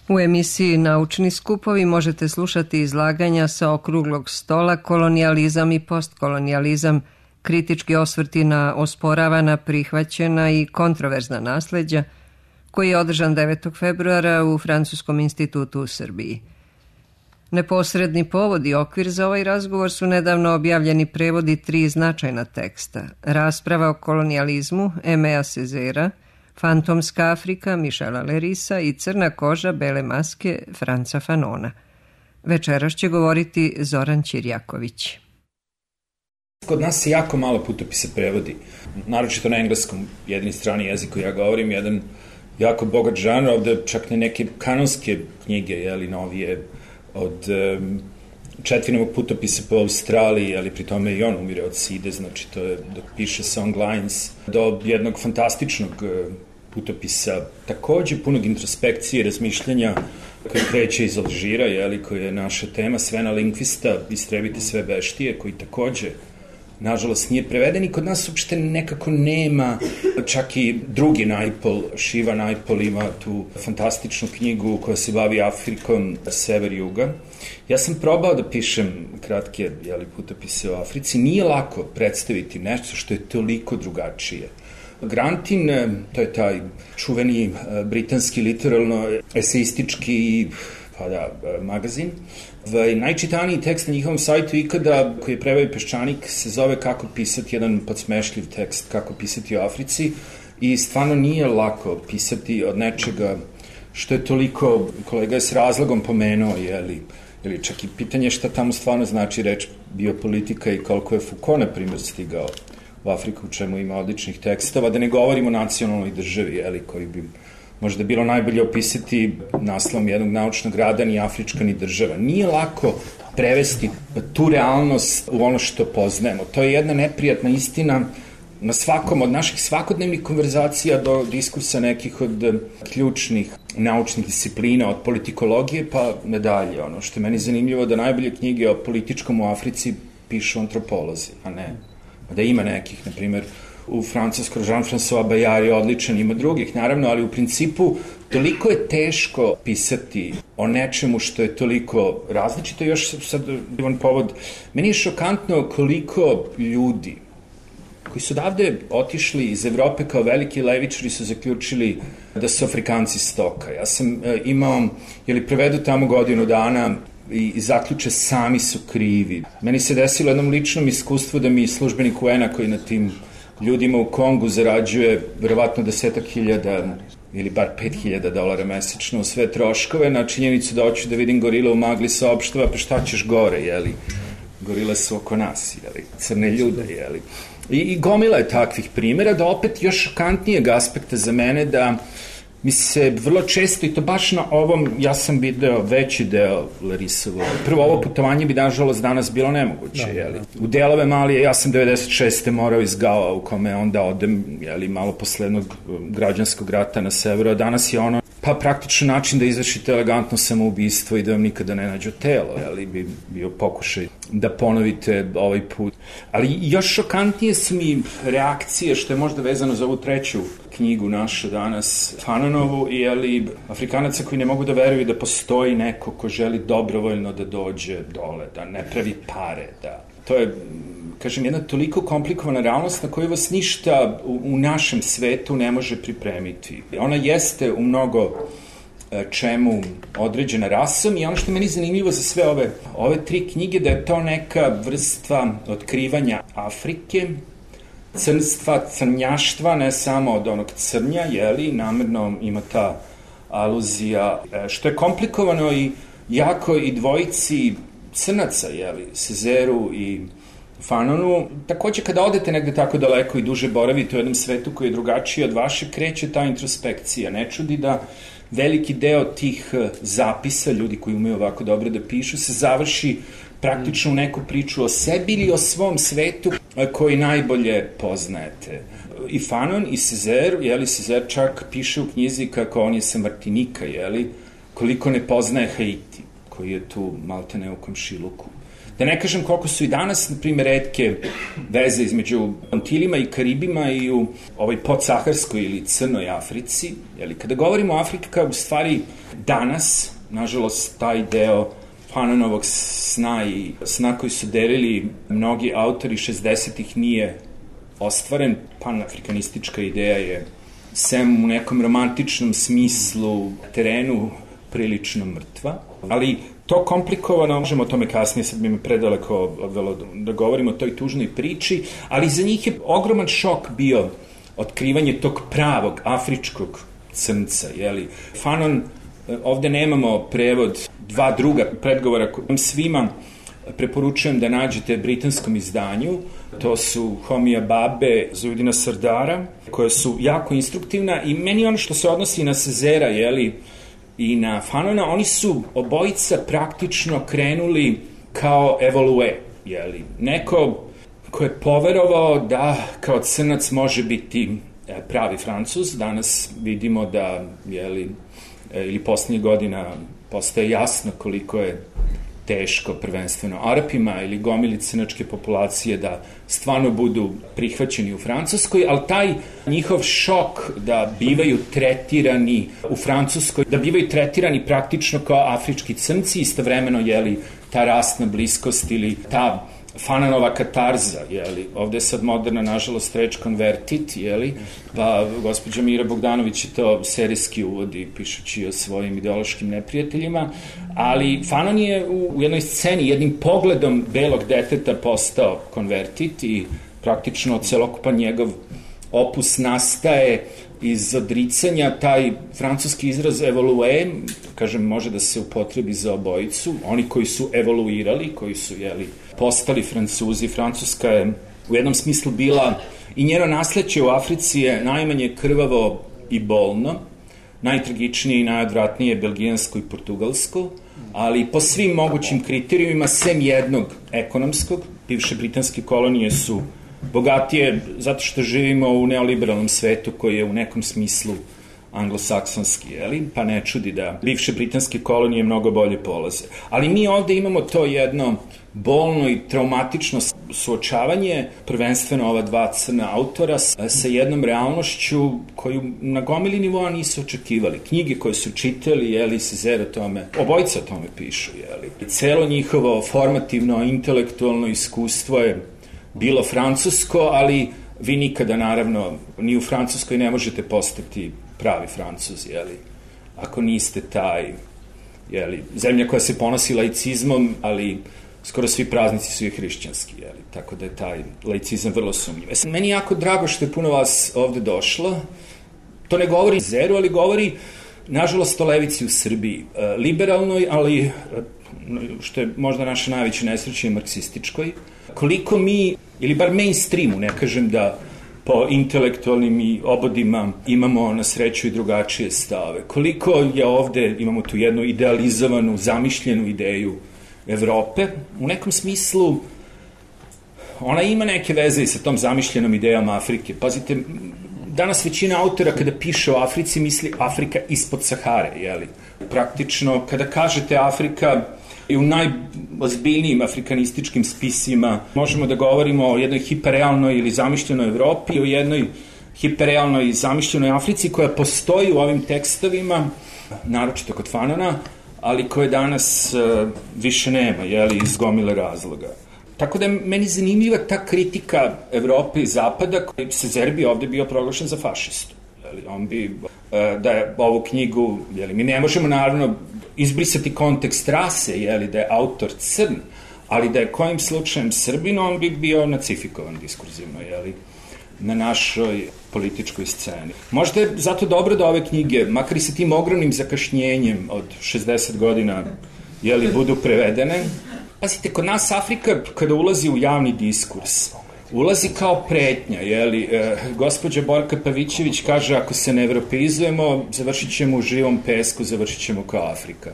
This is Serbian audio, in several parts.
U emisiji Naučni skupovi možete slušati izlaganja sa okruglog stola Kolonijalizam i postkolonijalizam, kritički osvrti na osporavana, prihvaćena i kontroverzna nasleđa, koji je održan 9. februara u Francuskom institutu u Srbiji. Neposredni povod i okvir za ovaj razgovor su nedavno objavljeni prevodi 3 značajna teksta: Rasprava o kolonijalizmu Aimea Césaire, Fantomska Afrika Michela Lerisa i Crna koža bele maske Franca Fanona. Večeras će govoriti Zoran Ćirjaković. Kod nas se jako malo putopisa prevodi, naročito na engleskom, jedini strani jezik koji ja govorim, jedan jako bogat žanr, ovde čak ne neke kanonske knjige, novije, od Četvinovog putopisa po Australiji, ali pri tome i on umire od side, znači to je dok piše Songlines, do jednog fantastičnog putopisa, takođe punog introspekcije i razmišljanja koji kreće iz Alžira, koji je naša tema, Svena Linkvista, Istrebite sve beštije, koji takođe nažalost nije preveden i kod nas uopšte nekako nema, čak i drugi Naipaul, Shiva Naipaul ima tu fantastičnu knjigu koja se bavi Afrikom, sever-juga. Ja sam probao da pišem kratke putopise o Africi, nije lako predstaviti nešto što je toliko drugačije. Grantin, to je taj čuveni britanski literalno-eseistički magazin. Najčitaniji tekst na njihovom sajtu ikada, koji je preveo Peščanik, se zove Kako pisati jedan podsmešljiv tekst, kako pisati o Africi, i stvarno nije lako pisati od nečega što je toliko, kolega je s razlogom pomenuo, ili čak i pitanje šta tamo stvarno znači reč biopolitika i koliko je Foucault, na primjer, stigao u Afriku, u čemu ima odličnih tekstova, da ne govorimo o nacionalnoj državi, koji bi možda bilo najbolje opisati naslovom jednog naučnog rada, ni Afrička ni država. Nije lako prevesti tu realnost u ono što poznajemo. To je jedna neprijatna istina na svakom od naših svakodnevnih konverzacija do diskursa nekih od ključnih naučnih disciplina, od politikologije pa nadalje. Ono što je meni zanimljivo da najbolje knjige o političkom u Africi pišu antropolozi, a ne da ima nekih, na primjer, u Francuskoj Jean-François Bayard je odličan, ima drugih, naravno, ali u principu toliko je teško pisati o nečemu što je toliko različito. Još sad divan povod, meni je šokantno koliko ljudi koji su davde otišli iz Evrope kao veliki levičari su zaključili da su Afrikanci stoka. Ja sam imao, prevedu tamo godinu dana i zaključe sami su krivi. Meni se desilo jednom ličnom iskustvu da mi službenik UN-a koji na tim ljudima u Kongu zarađuje verovatno 10.000 ili bar 5.000 dolara mesečno u sve troškove, na činjenicu da hoću da vidim gorile u magli saopštava, pa šta ćeš gore, gorile su oko nas, crne ljude, I gomila je takvih primjera, da opet još šokantnijeg aspekta za mene, da mi se vrlo često, i to baš na ovom, ja sam video veći deo Larisovo. Prvo, ovo putovanje bi nažalost danas bilo nemoguće, U delove Malije, ja sam 96. morao iz Gao, u kome onda odem, malo posle jednog građanskog rata na severu, a danas je ono, pa praktično način da izvršite elegantno samoubistvo i da vam nikada ne nađu telo, bi bio pokušaj da ponovite ovaj put. Ali još šokantnije su mi reakcije, što je možda vezano za ovu treću knjigu našu danas, Fanonovu, i Afrikanaca koji ne mogu da veruju da postoji neko ko želi dobrovoljno da dođe dole, da ne pravi pare, da... To je, kažem, jedna toliko komplikovana realnost na koju vas ništa u našem svetu ne može pripremiti. Ona jeste u mnogo čemu određena rasom i ono što je meni zanimljivo za sve ove 3 knjige, da je to neka vrsta otkrivanja Afrike, crnstva, crnjaštva, ne samo od onog crnja, namerno ima ta aluzija, što je komplikovano i jako i dvojici crnaca, Césaireu i Fanonu. Takođe, kada odete negde tako daleko i duže boravite u jednom svetu koji je drugačiji od vaše, kreće ta introspekcija. Ne čudi da veliki deo tih zapisa, ljudi koji umeju ovako dobro da pišu, se završi praktično u neku priču o sebi ili o svom svetu koji najbolje poznajete. I Fanon i Césaire, Césaire čak piše u knjizi kako on je sa Martinika, koliko ne poznaje Haiti, koji je tu maltene u komšiluku. Da ne kažem koliko su i danas, na primjer, retke veze između Antilima i Karibima i u ovoj podsaharskoj ili crnoj Africi. Kada govorimo o Afrika, u stvari danas, nažalost, taj deo Fanonovog sna i sna koji su delili mnogi autori 60-ih nije ostvaren. Panafrikanistička ideja je, sem u nekom romantičnom smislu, terenu prilično mrtva, ali to komplikovano, možemo o tome kasnije, sad bi me predaleko odvelo da govorimo o toj tužnoj priči, ali za njih je ogroman šok bio otkrivanje tog pravog afričkog crnca, jeli. Fanon, ovde nemamo prevod, dva druga predgovora kojim svima preporučujem da nađete britanskom izdanju. To su Homija Babe, Zujudina Sardara, koje su jako instruktivna i meni ono što se odnosi na Cezera, jeli, i na Fanona, oni su obojica praktično krenuli kao evolue, jeli. Neko ko je poverovao da kao crnac može biti pravi Francuz. Danas vidimo da, jeli, ili poslednjih godina postaje jasno koliko je teško prvenstveno Arapima ili gomili crnačke populacije da stvarno budu prihvaćeni u Francuskoj, ali taj njihov šok da bivaju tretirani u Francuskoj, da bivaju tretirani praktično kao afrički crnci, istovremeno, jeli, ta rasna bliskost ili ta Fanonova katarza, jeli, ovde je sad moderna, nažalost, reč convertit, jeli, pa gospođa Mira Bogdanović je to serijski uvodi, pišući o svojim ideološkim neprijateljima, ali Fanon je u jednoj sceni, jednim pogledom belog deteta postao konvertit i praktično celokupan njegov opus nastaje iz odricanja, taj francuski izraz evolue, kažem, može da se upotrebi za obojicu, oni koji su evoluirali, koji su, jeli, postali Francuzi. Francuska je u jednom smislu bila, i njeno nasleđe u Africi je najmanje krvavo i bolno, najtragičnije i najodvratnije je belgijansko i portugalsko, ali po svim mogućim kriterijumima, sem jednog ekonomskog, bivše britanske kolonije su bogatije zato što živimo u neoliberalnom svetu koji je u nekom smislu anglosaksonski, jeli? Pa ne čudi da bivše britanske kolonije mnogo bolje polaze. Ali mi ovde imamo to jedno bolno i traumatično suočavanje, prvenstveno ova dva crna autora, sa jednom realnošću koju na gomili nivoa nisu očekivali. Knjige koje su čitali, jeli, Césaire o tome, obojica o tome pišu, jeli. Celo njihovo formativno, intelektualno iskustvo je bilo francusko, ali vi nikada, naravno, ni u Francuskoj ne možete postati pravi Francuz, jeli, ako niste taj, jeli, zemlja koja se ponosi laicizmom, ali skoro svi praznici su i hrišćanski, jeli, tako da je taj laicizam vrlo sumnjiv. Meni je jako drago što je puno vas ovde došlo. To ne govori Zeru, ali govori, nažalost, o levici u Srbiji. Liberalnoj, ali, što je možda naša najveća nesreća, marksističkoj. Koliko mi, ili bar mainstreamu, ne kažem da po intelektualnim i obodima imamo na sreću i drugačije stave. Koliko je ovde, imamo tu jednu idealizovanu, zamišljenu ideju Evrope, u nekom smislu ona ima neke veze i sa tom zamišljenom idejom Afrike. Pazite, danas većina autora kada piše o Africi misli Afrika ispod Sahare, jeli? Praktično, kada kažete Afrika, i u najozbiljnijim afrikanističkim spisima možemo da govorimo o jednoj hiperrealnoj ili zamišljenoj Evropi, o jednoj hiperrealnoj i zamišljenoj Africi koja postoji u ovim tekstovima, naročito kod Fanona, ali koje danas više nema, jeli, iz gomile razloga. Tako da je meni zanimljiva ta kritika Evrope i Zapada, koji se Zerbi ovde bio proglašen za fašistu. Jeli, on bi, da je ovu knjigu, jeli, mi ne možemo naravno izbrisati kontekst rase, jeli, da je autor crn, ali da je kojim slučajem Srbin, on bi bio nacifikovan diskurzivno, jeli, na našoj političkoj sceni. Možda je zato dobro da ove knjige, makar i sa tim ogromnim zakašnjenjem od 60 godina, jeli, budu prevedene. Pazite, kod nas Afrika, kada ulazi u javni diskurs, ulazi kao pretnja, jeli, gospođa Borka Pavićević kaže, ako se ne evropeizujemo, završit ćemo u živom pesku, završit ćemo kao Afrika.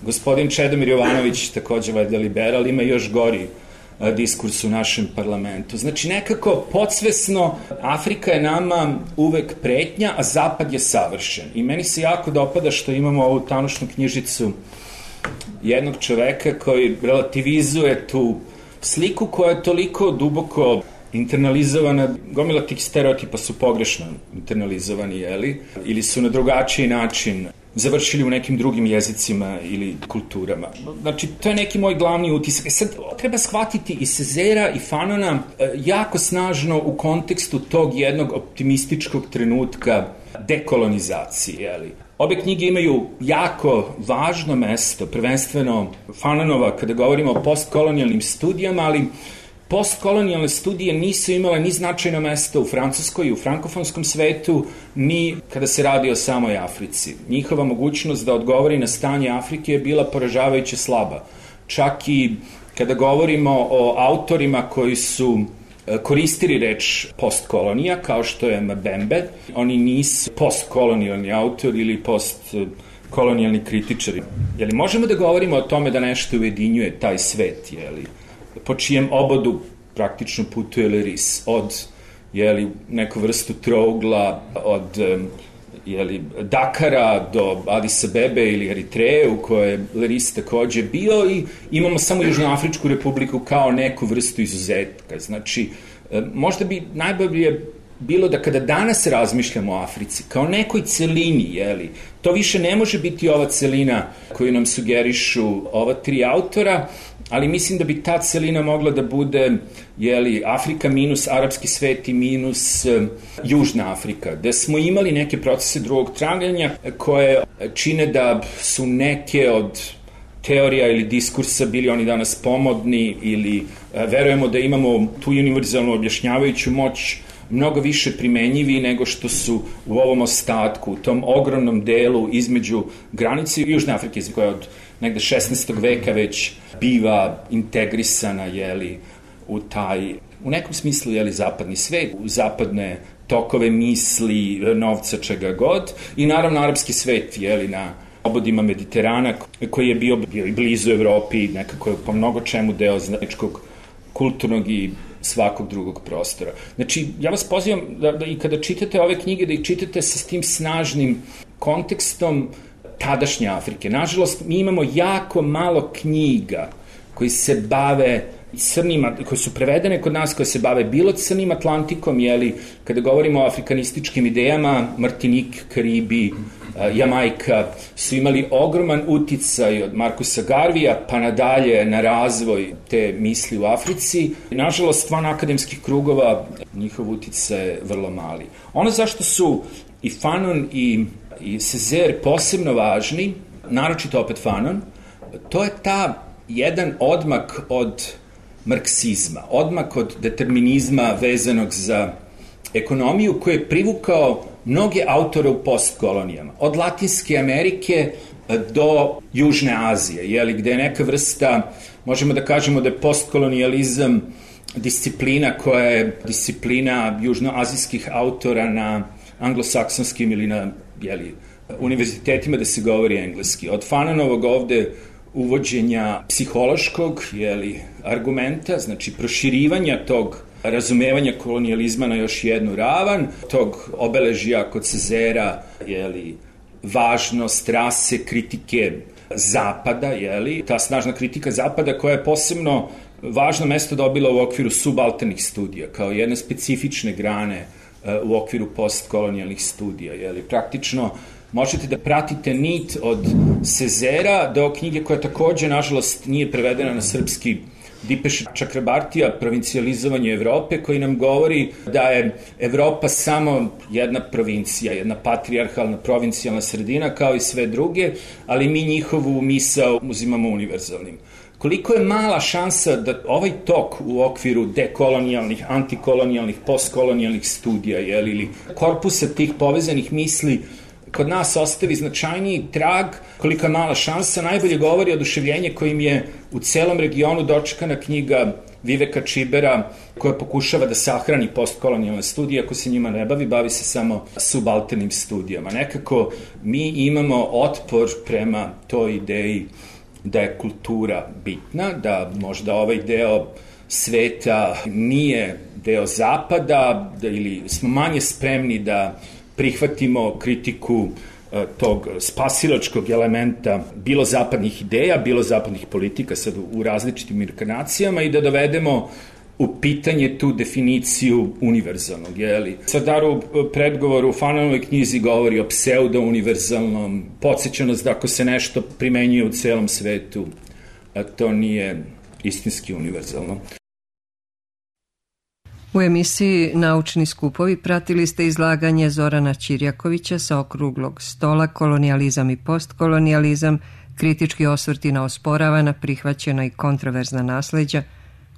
Gospodin Čedomir Jovanović, takođe valjda liberal, ima još gori diskurs u našem parlamentu. Znači, nekako podsvesno Afrika je nama uvek pretnja, a Zapad je savršen. I meni se jako dopada što imamo ovu tanušnu knjižicu jednog čoveka koji relativizuje tu sliku koja je toliko duboko internalizovana, gomila tih stereotipa su pogrešno internalizovani, jeli, ili su na drugačiji način završili u nekim drugim jezicima ili kulturama. Znači, to je neki moj glavni utisak. Sad, treba shvatiti i Césaira i Fanona jako snažno u kontekstu tog jednog optimističkog trenutka dekolonizacije, jeli? Obe knjige imaju jako važno mesto, prvenstveno Fanonova kada govorimo o postkolonijalnim studijama, ali postkolonijalne studije nisu imale ni značajno mesto u Francuskoj i u frankofonskom svetu, ni kada se radi o samoj Africi. Njihova mogućnost da odgovori na stanje Afrike je bila poražavajuće slaba. Čak i kada govorimo o autorima koji su koristili reč postkolonija, kao što je Mbembe, oni nisu postkolonijalni autori ili postkolonijalni kritičari. Jeli možemo da govorimo o tome da nešto ujedinjuje taj svet, jeli? Po čijem obodu praktično putuje Leris, od neku vrstu trougla, od Dakara do Adis Abebe ili Eritreje, u kojoj je Leris takođe bio, i imamo samo Južnoafričku republiku kao neku vrstu izuzetka. Znači, možda bi najbolje bilo da kada danas razmišljamo o Africi kao nekoj celini, to više ne može biti ova celina koju nam sugerišu ova tri autora, ali mislim da bi ta celina mogla da bude Afrika minus arapski svet i minus Južna Afrika, gde smo imali neke procese drugog traganja koje čine da su neke od teorija ili diskursa bili oni danas pomodni, ili verujemo da imamo tu univerzalnu objašnjavajuću moć mnogo više primenjivi nego što su u ovom ostatku, u tom ogromnom delu između granice Južne Afrike, koja od negde 16. veka već biva integrisana u nekom smislu zapadni svet, u zapadne tokove misli, novca, čega god, i naravno arapski svet na obodima Mediterana, koji je bio i blizu Evropi, nekako je po mnogo čemu deo zajedničkog kulturnog i svakog drugog prostora. Znači, ja vas pozivam da i kada čitate ove knjige, da ih čitate sa tim snažnim kontekstom tadašnje Afrike. Nažalost, mi imamo jako malo knjiga koji se bave crnima, koje su prevedene kod nas, koje se bave bilo crnim Atlantikom, kada govorimo o afrikanističkim idejama, Martinik, Karibi, Jamajka su imali ogroman uticaj od Markusa Garvija pa nadalje na razvoj te misli u Africi. Nažalost, van akademskih krugova njihov uticaj je vrlo mali. Ono zašto su i Fanon i Césaire posebno važni, naročito opet Fanon, to je jedan odmak od marksizma, odmak od determinizma vezanog za ekonomiju, koji je privukao mnoge autore u postkolonijama, od Latinske Amerike do Južne Azije, gde je neka vrsta, možemo da kažemo da je postkolonijalizam disciplina koja je disciplina južnoazijskih autora na anglosaksonskim ili na univerzitetima da se govori engleski. Od Fanonovog ovde uvođenja psihološkog argumenta, znači proširivanja tog razumevanja kolonijalizma na još jednu ravan, tog obeležija kod Césaira, važnost rase, kritike Zapada, ta snažna kritika Zapada koja je posebno važno mesto dobila u okviru subalternih studija, kao jedne specifične grane u okviru postkolonijalnih studija, praktično možete da pratite nit od Césaira do knjige koja takođe, nažalost, nije prevedena na srpski, Dipeše Čakrabartija, Provincijalizovanje Evrope, koji nam govori da je Evropa samo jedna provincija, jedna patrijarhalna provincijalna sredina kao i sve druge, ali mi njihovu misao uzimamo univerzalnim. Koliko je mala šansa da ovaj tok u okviru dekolonijalnih, antikolonijalnih, postkolonijalnih studija ili korpusa tih povezanih misli kod nas ostavi značajniji trag, kolika je mala šansa, najbolje govori oduševljenje kojim je u celom regionu dočekana knjiga Viveka Čibera, koja pokušava da sahrani postkolonijalne studije, ako se njima ne bavi se samo subalternim studijama. Nekako mi imamo otpor prema toj ideji da je kultura bitna, da možda ovaj deo sveta nije deo Zapada, ili smo manje spremni da prihvatimo kritiku tog spasilačkog elementa bilo zapadnih ideja, bilo zapadnih politika sad u različitim inkarnacijama i da dovedemo u pitanje tu definiciju univerzalnog, jeli? Sardarov predgovor u Fananovoj knjizi govori o pseudo-univerzalnom, podsjeća nas da ako se nešto primenjuje u celom svetu, to nije istinski univerzalno. U emisiji Naučni skupovi pratili ste izlaganje Zorana Ćirjakovića sa okruglog stola Kolonijalizam i postkolonijalizam, kritički osvrti na osporavana, prihvaćena i kontroverzna nasleđa,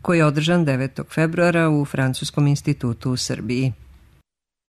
koji je održan 9. februara u Francuskom institutu u Srbiji.